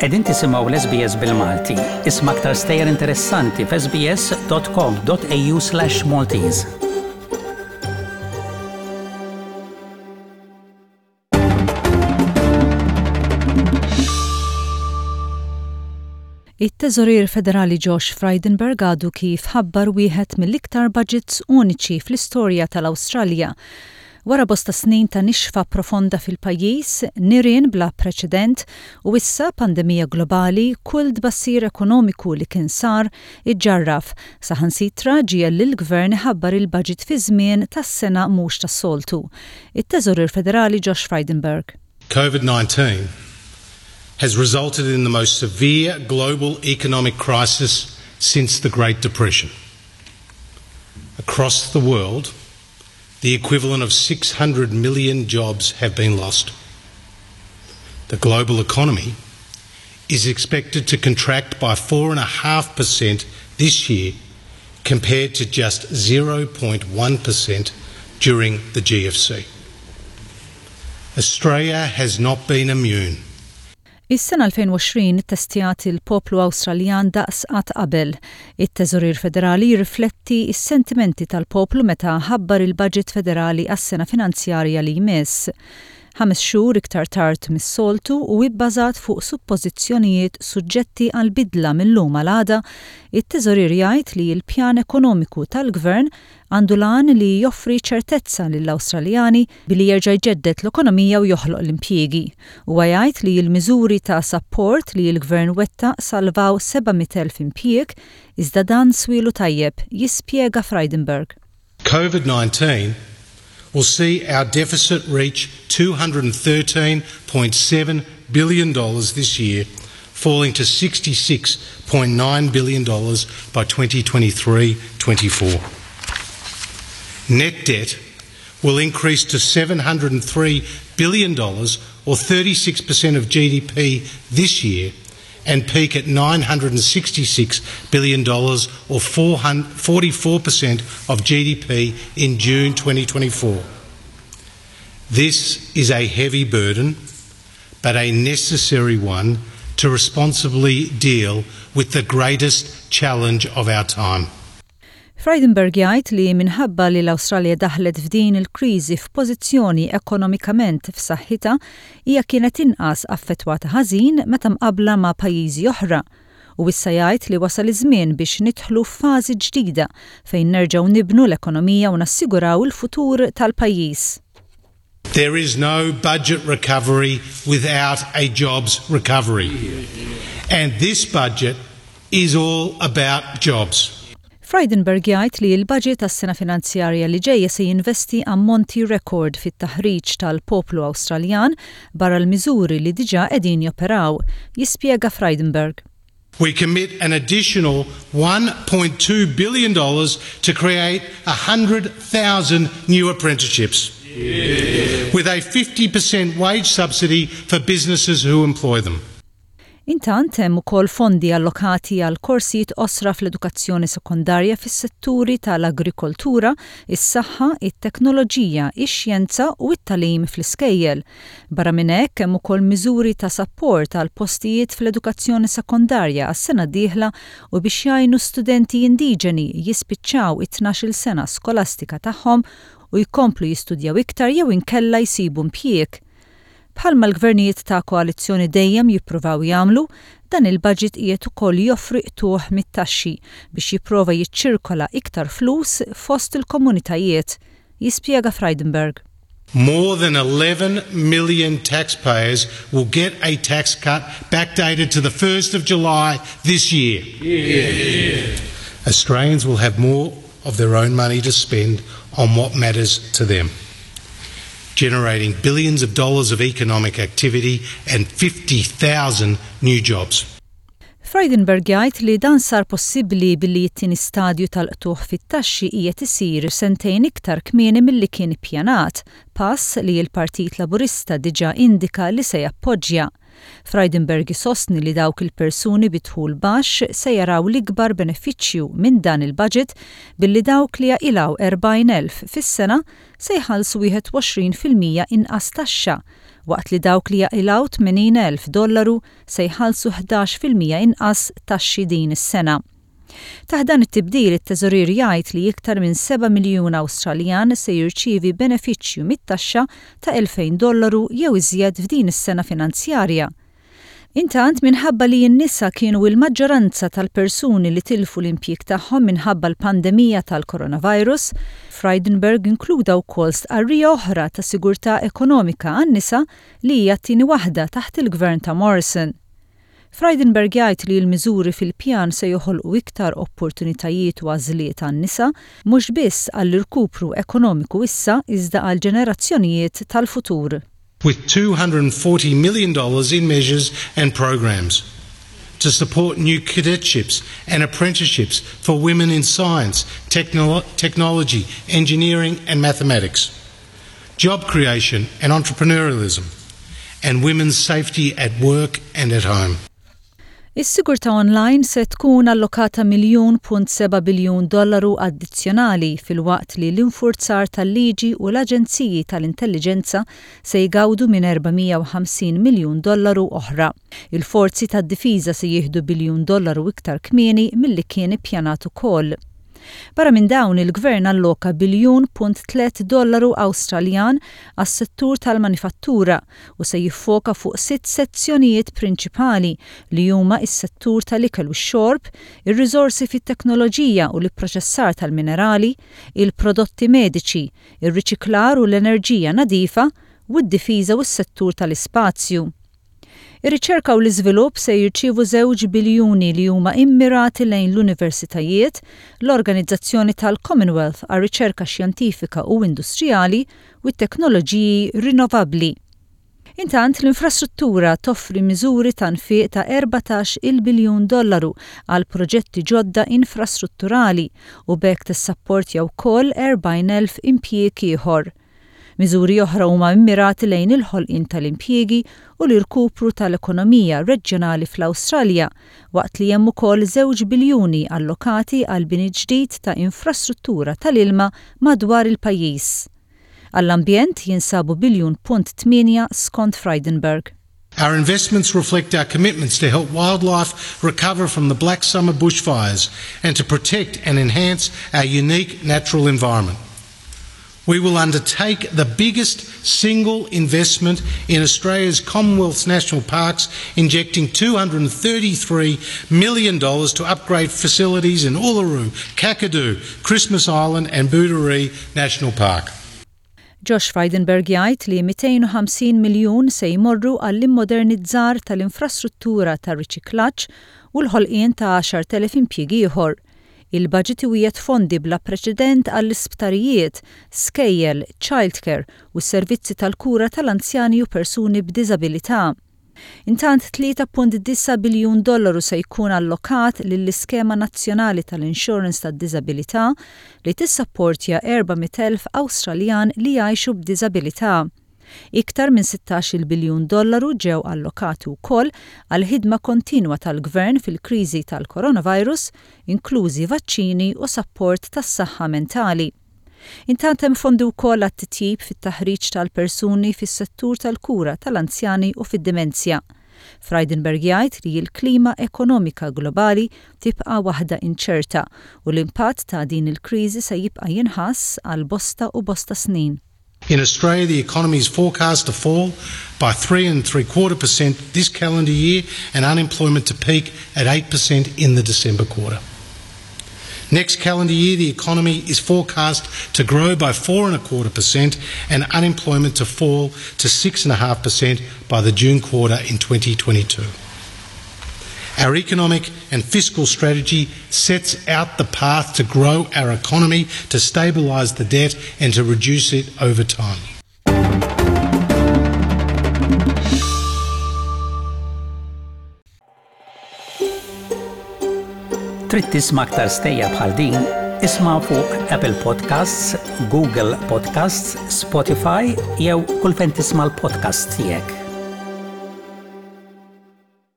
Qegħdin tisimgħu l-SBS bil-Malti. Isma' aktar stejjer interessanti f'sbs.com.au/Maltese. It-Teżorier Federali Josh Frydenberg għadu kif ħabbar wieħed mill-iktar budgets uniċi fl-istorja tal-Awstralja. Wara bosta snin ta' nixfa profonda fil-pajjiż, nirien bla preċedent u issa pandemija globali, kull tbassir ekonomiku li kien sar iġġarraf, saħansitra ġiegħel lill-Gvern iħabbar il-budget fi żmien tas-sena mhux tas-soltu. It-Teżorier Federali Josh Frydenberg. Covid-19 has resulted in the most severe global economic crisis since the Great Depression. Across the world, the equivalent of 600 million jobs have been lost. The global economy is expected to contract by 4.5% this year compared to just 0.1% during the GFC. Australia has not been immune. Is-sena 2020 ittestjat il-poplu Awstraljan daqs qatt qabel. It-Teżorier Federali jirrifletti s-sentimenti tal-poplu meta ħabbar il-Baġit Federali għas-sena finanzjarja li jmiss. Ħames xhur iktar tard mis-soltu u ibbażat fuq suppożizzjonijiet suġġetti għal bidla mil-lum għal għada, it-Teżorier jgħid li l-pjan ekonomiku tal-Gvern għandu l-għan li joffri ċertezza lill-Awstraljani billi jerġa' jġedded l-ekonomija u joħloq l-impjiegi. Huwa jgħid li l-miżuri ta' sapport li l-Gvern wettaq salvaw 700,000 impjieg, iżda dan swielu tajjeb, jispjega Frydenberg. Covid-19 will see our deficit reach $213.7 billion this year, falling to $66.9 billion by 2023-24. Net debt will increase to $703 billion or 36% of GDP this year and peak at $966 billion or 44% of GDP in June 2024. This is a heavy burden, but a necessary one to responsibly deal with the greatest challenge of our time. Frydenberg jgħid li minħabba li l-Awstralja daħlet f'din il-kriżi f'pożizzjoni ekonomikament f'saħħitha, hija kienet inqas affettwata ħażin meta mqabbla ma' pajjiżi oħra. U issa jgħid li wasal iż-żmien biex nidħlu f'fażi ġdida fejn nerġgħu nibnu l-ekonomija u nassiguraw il-futur tal-pajjiż. There is no budget recovery without a jobs recovery. And this budget is all about jobs. Frydenberg jgħid li l-budget għas-sena finanzjarja li ġejja se jinvesti ammonti rekord fit-taħriġ tal-poplu Awstraljan barra l-miżuri li diġà qegħdin joperaw, jispjega Frydenberg. We commit an additional $1.2 billion to create 100,000 new apprenticeships. With a 50% wage subsidy for businesses who employ them. Intant hemm ukoll fondi allokati għal korsijiet qosra fl-edukazzjoni sekondarja fis-setturi tal-agrikoltura, is-saħħa, it-teknoloġija, ix-xjenza u t-tagħlim fl-iskejjel. Barra minn hekk hemm ukoll miżuri ta' sapport għal postijiet fl-edukazzjoni sekondarja għas-sena d-dieħla u biex jgħinu studenti indiġeni jispiċċaw it-tnax-il sena skolastika tagħhom u jkomplu jistudjaw iktar jew inkella jsibu impjieg. Bħalma l-gvernijiet ta' koalizzjoni dejjem jippruvaw jagħmlu, dan il-budget qiegħed ukoll joffri qtugħ mit-taxxi biex jipprova jiċċirkola iktar flus fost il-komunitajiet, jispjega Frydenberg. More than 11 million taxpayers will get a tax cut backdated to the 1st of July this year. Australians will have more of their own money to spend on what matters to them generating billions of dollars of economic activity and 50,000 new jobs. Frydenberg jgħid li dan sar possibbli billi t-tieni stadju tal-qtugħ fit-taxxi qiegħed isir sentejn iktar kmieni milli kien ippjanat, pass li l-Partit Laburista diġà indika li se jappoġġja. Frydenberg isostni li dawk il-persuni bi dħul baxx se jaraw l-ikbar benefiċċju minn dan il-budget billi dawk li jaqilgħu 40,000 fis-sena se jħallsu 21% inqas taxxa. waqt li dawk li jaqilgħu 80,000 dollaru se jħallsu 11% inqas taxxi din is-sena. Taħt dan it-tibdil it-Teżorier jgħid li iktar minn seba' miljun Awstraljan se jirċievi benefiċċju mit-taxxa ta' 2,000 dollaru jew iżjed f'din is-sena finanzjarja. Intant, minħabba li n-nisa kienu il-maġġoranza tal-persuni li tilfu l-impjieg tagħhom minħabba l-pandemija tal-coronavirus, Frydenberg inkluda wkoll stqarrija oħra ta' sigurtà ekonomika għan-nisa li hija t-tieni waħda taħt il-Gvern ta' Morrison. Frydenberg jgħid li l-miżuri fil-pjan se joħolqu iktar opportunitajiet u għażliet għan-nisa, mhux biss għall-irkupru ekonomiku issa iżda għall-ġenerazzjonijiet tal-futur. With $240 million in measures and programs to support new cadetships and apprenticeships for women in science, technology, engineering and mathematics, job creation and entrepreneurialism, and women's safety at work and at home. Is-sigurtà online se tkun allokata miljun punt seba' biljun dollaru addizzjonali filwaqt li l-infurzar tal-liġi u l-aġenziji tal-intelliġenza se jgawdu minn 450 miljun dollaru oħra. Il-forzi tad-difiża se jieħdu biljun dollaru iktar kmieni milli kien ippjanat ukoll. Barra minn dawn, il-Gvern alloka biljun punt tlett dollaru Awstraljan għas-settur tal-manifattura u se jiffoka fuq sitt sezzjonijiet prinċipali li huma s-settur tal-ikel u x-xorb, ir-riżorsi fit-teknoloġija u l-ipproċessar tal-minerali, il-prodotti mediċi, ir-riċiklar u l-enerġija nadifa, u d-difiża u s-settur tal-ispazju. Ir-riċerka u l-iżvilupp se jirċievu żewġ biljuni li huma immirati lejn l-universitajiet, l-Organizzazzjoni tal-Commonwealth għar-Riċerka Xjentifika u Industrijali u t-teknoloġiji rinnovabbli. Intant, l-infrastruttura toffri miżuri ta' nfiq ta' 14-il biljun dollaru għal proġetti ġodda infrastrutturali u b'hekk tissapportja wkoll 40,000 impjieg ieħor. Miżuri oħra huma mmirati lejn il-ħolqien tal-impjiegi u l-irkupru tal-ekonomija reġjonali fl-Awstralja, waqt li hemm ukoll żewġ biljuni allokati għal bini ġdid ta' infrastruttura tal-ilma madwar il-pajjiż. Għall-ambjent jinsabu biljun punt tmienja skont Frydenberg. Our investments reflect our commitments to help wildlife recover from the Black Summer bushfires and to protect and enhance our unique natural environment. We will undertake the biggest single investment in Australia's Commonwealth's national parks, injecting $233 million to upgrade facilities in Uluru, Kakadu, Christmas Island and Booderee National Park. Josh Frydenberg jgħid li 250 miljun se jmorru għall-immodernizzar tal-infrastruttura tar-riċiklaġġ u l-ħolqien ta' 10,000 impjieg ieħor. Il-baġit iwiegħed fondi bla preċedent għall-isptarijiet, skejjel, childcare u s-servizzi tal-kura tal-anzjani u persuni b'diżabilità. Intant 3.9 biljun dollaru se jkun allokat lill-Iskema Nazzjonali tal-Insurance tad-Diżabilità li tissapportja 400,000 Awstraljan li jgħixu b'diżabilità. Iktar minn 16-il biljun dollaru ġew allokati wkoll għall-ħidma kontinwa tal-Gvern fil-kriżi tal-coronavirus, inklużi vaċċini u sapport tas-saħħa mentali. Intant hemm fondi wkoll għat-titjib fit-taħriġ tal-persuni fis-settur tal-kura tal-anzjani u fid-dimenzja. Frydenberg jgħid li l-klima ekonomika globali tibqa' waħda inċerta u l-impatt ta' din il-kriżi se jibqa' jinħass għal bosta u bosta snin. In Australia, the economy is forecast to fall by 3.75% this calendar year and unemployment to peak at 8% in the December quarter. Next calendar year, the economy is forecast to grow by 4.25% and unemployment to fall to 6.5% by the June quarter in 2022. Our economic and fiscal strategy sets out the path to grow our economy, to stabilise the debt and to reduce it over time. Trid tisma' aktar stejjer bħal din? Isma' fuq Apple Podcasts, Google Podcasts, Spotify jew kull fejn tisma' l-podcasts tiegħek.